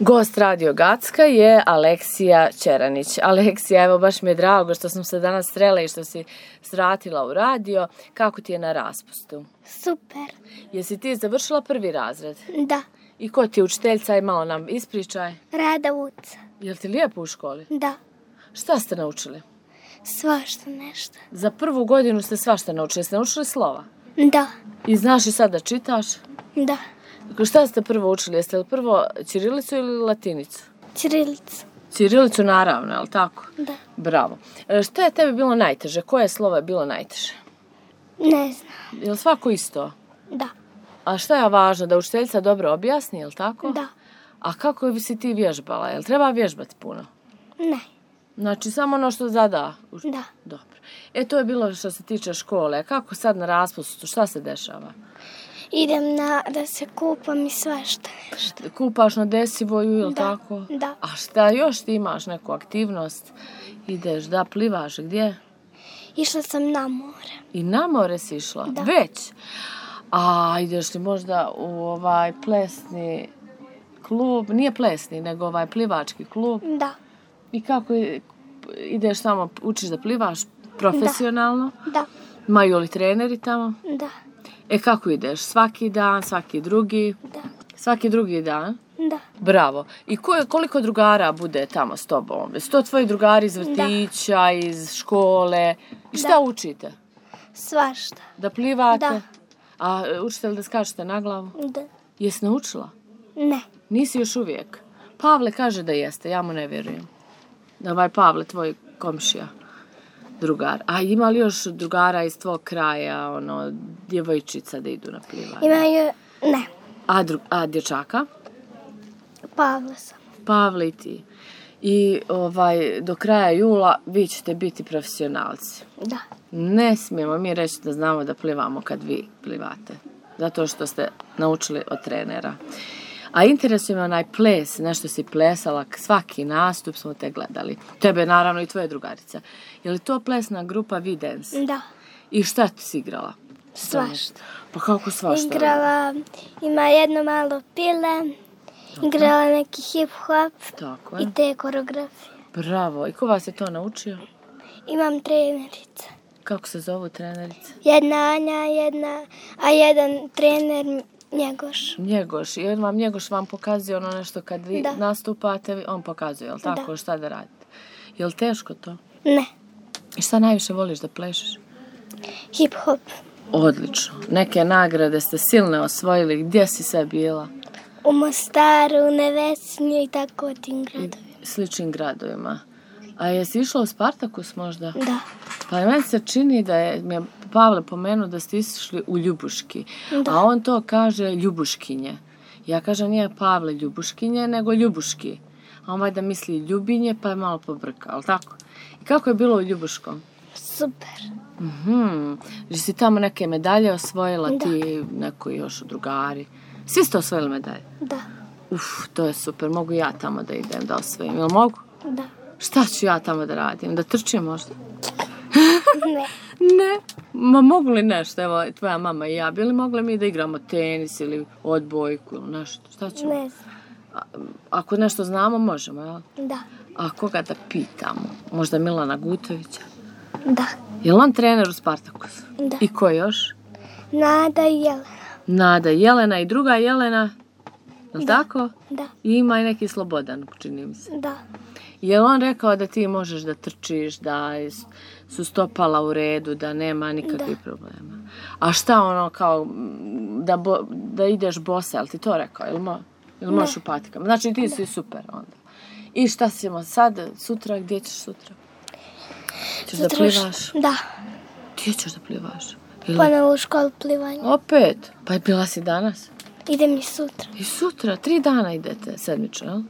Gost Radio Gacka je Aleksija Ćeranić. Aleksija, evo baš mi je drago što smo se danas srele i što si svratila u radio. Kako ti je na raspustu? Super. Jesi ti završila prvi razred? Da. I ko ti je učiteljica? Aj malo nam ispričaj. Rada Vuca. Jel ti lijepo u školi? Da. Šta ste naučili? Svašta nešto. Za prvu godinu ste svašta naučili. Ste naučili slova? Da. I znaš i sad da čitaš? Da. Šta ste prvo učili? Jeste li prvo ćirilicu ili latinicu? Ćirilicu. Ćirilicu naravno, je li tako? Da. Bravo. Šta je tebi bilo najteže? Koje slovo je bilo najteže? Ne znam. Je li svako isto? Da. A šta je važno? Da učiteljica dobro objasni, je li tako? Da. A kako bi si ti vježbala? Je li treba vježbati puno? Ne. Znači, samo ono što zada? Da. Dobro. To je bilo što se tiče škole. Kako sad na raspustu? Šta se dešava? Idem da se kupam i svašta nešto. Kupaš na Desivoju, je li tako? Da. A šta još ti imaš neku aktivnost? Ideš da plivaš, gdje? Išla sam na more. I na more si išla? Da. Već? A ideš li možda u plesni klub? Nije plesni, nego plivački klub? Da. I kako ideš tamo, učiš da plivaš profesionalno? Da. Imaju li treneri tamo? Da. Kako ideš? Svaki dan, svaki drugi? Da. Svaki drugi dan? Da. Bravo. I koliko drugara bude tamo s tobom? Jesu to tvoji drugari iz vrtića, iz škole? I šta učite? Svašta. Da plivate? Da. A učite li da skačete na glavu? Da. Jesi naučila? Ne. Nisi još uvijek? Pavle kaže da jeste, ja mu ne vjerujem. Pavle, tvoj komšija, drugar. A ima li još drugara iz tvog kraja, djevojčica da idu na plivanje? Imaju, ne. A dječaka? Pavle sam. Pavle i ti. I do kraja jula vi ćete biti profesionalci. Da. Ne smijemo mi reći da znamo da plivamo kad vi plivate. Zato što ste naučili od trenera. A interesuje me onaj ples, nešto si plesala, svaki nastup smo te gledali. Tebe naravno i tvoje drugarice. Je li to plesna grupa Videns? Da. I šta si igrala? Svašta. Pa kako svašta? Igrala, ima jedno malo pile, igrala neki hip-hop i te koreografije. Bravo. I ko vas je to naučio? Imam trenerice. Kako se zovu trenerice? Jedna Anja, a jedan trener Njegoš. I Njegoš vam pokazuje nešto kad vi nastupate, on pokazuje, jel tako, šta da radite? Je li teško to? Ne. I šta najviše voliš da plešeš? Hip-hop. Odlično. Neke nagrade ste silne osvojili. Gdje si sve bila? U Mostaru, u Nevesinju i tako tim gradovima. Sličnim gradovima. A jesi išla u Spartakus možda? Da. Pa meni se čini da mi je Pavle pomenuo da ste išli u Ljubuški. Da. A on to kaže Ljubuškinje. Ja kažem nije Pavle Ljubuškinje, nego Ljubuški. A on valjda misli Ljubinje, pa je malo pobrka, ali tako? I kako je bilo u Ljubuškom? Super. Si tamo neke medalje osvojila, ti neko još drugari? Svi ste osvojili medalje? Da. To je super, mogu ja tamo da idem da osvojim, jel mogu? Da. Šta ću ja tamo da radim? Da trčim možda? Ne. Ne? Ma mogu li nešto? Evo, tvoja mama i ja, bi li mogli mi da igramo tenis ili odbojku ili nešto? Šta ćemo? Ne znam. Ako nešto znamo, možemo, jel? Da. A koga da pitamo? Možda Milana Gutovića? Da. Je li on trener u Spartakusu? Da. I ko još? Nada i Jelena. Nada i Jelena i druga Jelena? Je li tako? Da. I ima i neki Slobodan, čini mi se. Da. Je li on rekao da ti možeš da trčiš, da su stopala u redu, da nema nikakvih problema? A šta kao da ideš bosa, jel ti to rekao? Ili možeš u patikama? Znači ti si super onda. I šta ćemo sad, sutra, gdje ćeš sutra? Ćeš da plivaš? Da. Gdje ćeš da plivaš? Ponovo u školu plivanja. Opet? Pa je bila si danas? Idem i sutra. I sutra? 3 dana idete sedmično, jel?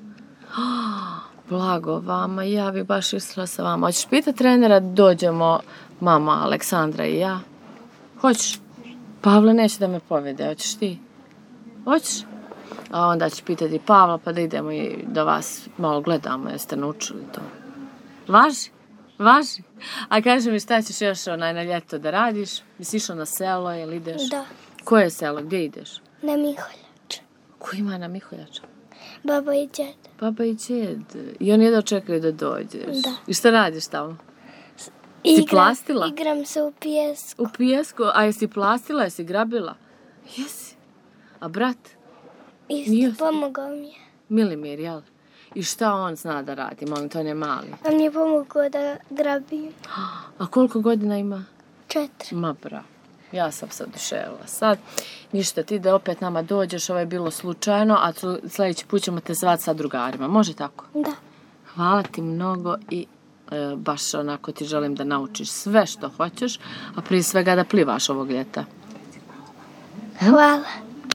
Blago vama, ja bi baš išla sa vama. Hoćeš pitati trenera da dođemo mama, Aleksandra i ja? Hoćeš? Pavle neće da me povede, hoćeš ti? Hoćeš? A onda ću pitati Pavla pa da idemo i da vas malo gledamo, jeste naučili to. Važi? Važi? A kaži mi šta ćeš još na ljeto da radiš? Jesi išao na selo, jel ideš? Da. Koje selo, gdje ideš? Na Miholjač. Ko ima na Miholjača? Baba i djed. Baba i djed. I oni jedno čekaju da dođeš. Da. I šta radiš tamo? Si plastila? Igram se u pijesku. U pijesku? A jesi plastila, jesi grabila? Jesi. A brat? Isto, pomogao mi je. Milimir, jel? I šta on zna da radi? Molim, to ne mali. On mi je pomogao da grabim. A koliko godina ima? 4. Ma bravo. Ja sam se oduševila sad. Ništa, ti da opet nama dođeš, ovo je bilo slučajno, a sljedeći put ćemo te zvati sa drugarima. Može tako? Da. Hvala ti mnogo i baš onako ti želim da naučiš sve što hoćeš, a prije svega da plivaš ovog ljeta. Hvala.